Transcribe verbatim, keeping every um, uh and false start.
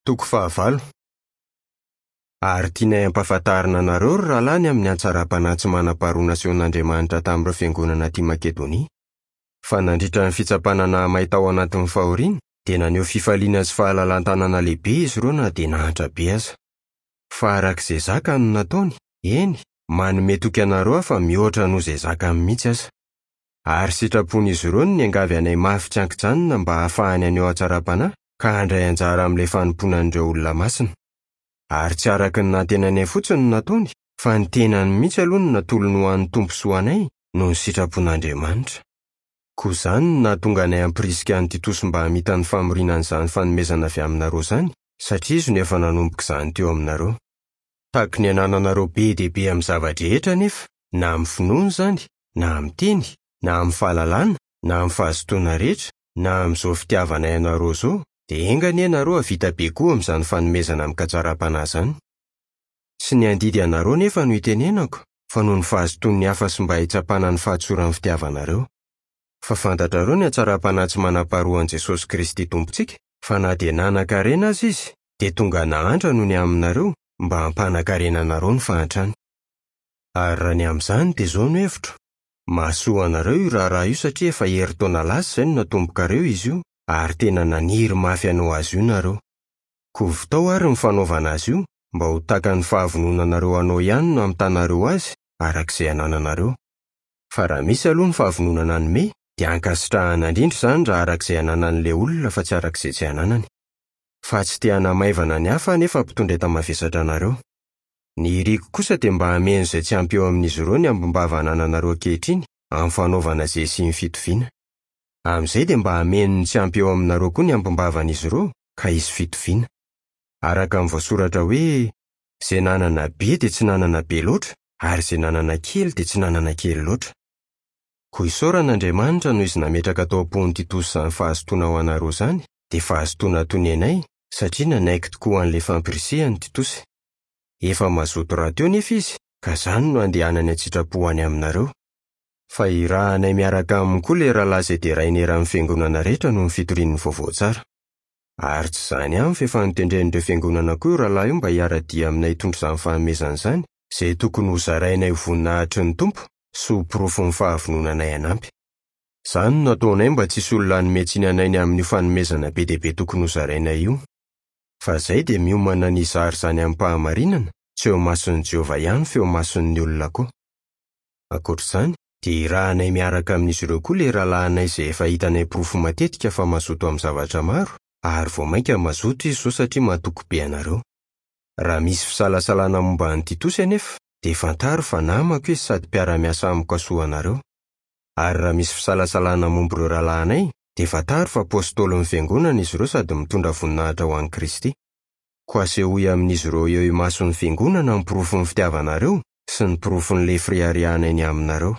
Toko fahavalo. Ary tianay hampahafantarina anareo ry rahalahy ny amin'ny hatsaram-panahy tsy manam-paharoa nasehon'Andriamanitra tamin'ireo fiangonana aty Makedonia. Fa nandritra ny fitsapana nahamay tao anatin'ny fahoriana, dia naneho fifaliana sy fahalalan-tanana lehibe izy ireo na dia nahantra be aza. Fa araka izay zaka no nataony, eny, manome toky anareo aho fa mihoatra noho izay zakany mihitsy aza. Ary sitrapon'izy ireo no niangavy anay mafy tsy an-kijanona mba hahafahany haneho hatsaram-panahy ka handray anjara amin'ilay fanompoana an'ireo olona masina. Ary tsy araka ny nantenainay fotsiny no nataony, fa ny tenany mihitsy aloha no natolony ho an'ny Tompo sy ho anay noho ny sitrapon'Andriamanitra. Koa izany no nahatonga anay hampirisika an'i Titosy mba hamita ny famoriana an'izany fanomezana avy aminareo izany, satria izy no efa nanomboka izany teo aminareo. Tahaky ny anananareo be dia be amin'ny zava-drehetra anefa, na amin'ny finoana izany, na amin'ny teny, na amin'ny fahalalana, na amin'ny fahazotoana rehetra, na amin'izao fitiavanay anareo izao, dia enga anie ianareo hahavita be koa amin'izany fanomezana amin-katsaram-panahy izany. Tsy ny handidy anareo anefa no itenenako, fa noho ny fahazotoan'ny hafa sy mba hitsapana ny fahatsoran'ny fitiavanareo. Fa fantatrareo ny hatsaram-panahy tsy manam-paharoa an'i Jesosy Kristy Tompontsika, fa na dia nanan-karena aza Izy, dia tonga nahantra noho ny aminareo, mba hampanan-karena anareo ny fahantrany. Ary raha ny amin'izany dia izao no hevitro: mahasoa anareo io raharaha io satria efa herintaona lasa izay no natombokareo izy io, ary tena naniry mafy hanao azy io nareo. Koa vitao àry ny fanaovana azy io, mba ho takan'ny fahavononanareo hanao ihany no hamitanareo azy, araka izay anananareo. Fa raha misy aloha ny fahavononana hanome, dia ankasitrahana indrindra izany raha araka izay ananan'ilay olona fa tsy araka izay tsy ananany. Fa tsy te hanamaivana ny hafa anefa mpitondra enta-mavesatra anareo. Ny iriko kosa dia mba hameno izay tsy ampy eo amin'izy ireo ny ambim-bava anananareo ankehitriny amin'ny fanaovana izay hisian'ny fitoviana. Amin'izay dia mba hameno ny tsy ampy eo aminareo koa ny ambim-bavan'izy ireo ka hisy fitoviana. Araka ny voasoratra hoe: izay nanana be dia tsy nanana be loatra, ary izay nanana kely dia tsy nanana kely loatra. Koa isaorana Andriamanitra noho izy nametraka tao am-pon'i Titosy izany fahazotoana ho anareo izany, dia fahazotoana toy ny anay, satria nanaiky tokoa an'ilay fampirisihany Titosy. Efa mazoto rahateo nefa izy, ka izany no andehanany an-tsitrapo any aminareo. Fa irahanay miaraka aminy koa ilay rahalahy izay deraina eran'ny fiangonana rehetra noho ny fitorian'ny vaovao tsara. Ary tsy izany ihany fa efa notendren'ireo fiangonana koa io rahalahy io mba hiara-dia aminay hitondra izany fanomezana izany, izay tokony hozarainay ho voninahitry ny Tompo sy ho porofon'ny fahavononanay hanampy. Izany no nataonay mba tsy hisy olona hanome tsiny anay ny amin'io fanomezana be dia be tokony hozarainay io. Fa izay dia miomana ny hizara izany amim-pahamarinana, tsy eo imason'i Jehovah ihany fa eo imason'ny olona koa. Ankoatra izany, dia irahanay miaraka amin'izy ireo koa ilay rahalahinay izay efa hitanay porofo matetika fa mazoto amin'ny zavatra maro, ary vao mainka mazoto izy izao satria matoky be anareo. Raha misy fisalasalana momba an'i Titosy anefa, dia fantaro fa namako izy sady mpiara-miasa amiko hasoa anareo. Ary raha misy fisalasalana momba ireo rahalahinay, dia fantaro fa apôstôlin'ny fiangonana izy ireo sady mitondra voninahitra ho an'i Kristy. Koa asehoy amin'izy ireo eo imason'ny fiangonana ny porofon'ny fitiavanareo sy ny porofon'ilay fireharehanay ny aminareo.